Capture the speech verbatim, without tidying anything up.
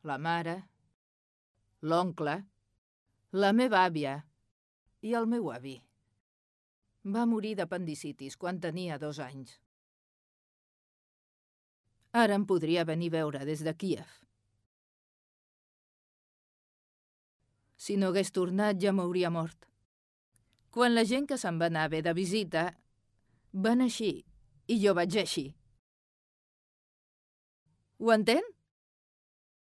la mare, l'oncle, la meva àvia i el meu avi. Va morir d'apendicitis quan tenia dos anys. Ara em podria venir a veure des de Kíev. Si no hagués tornat ja m'hauria mort. Quan la gent que se'n va anar bé de visita van així i jo vaig així. Ho entén?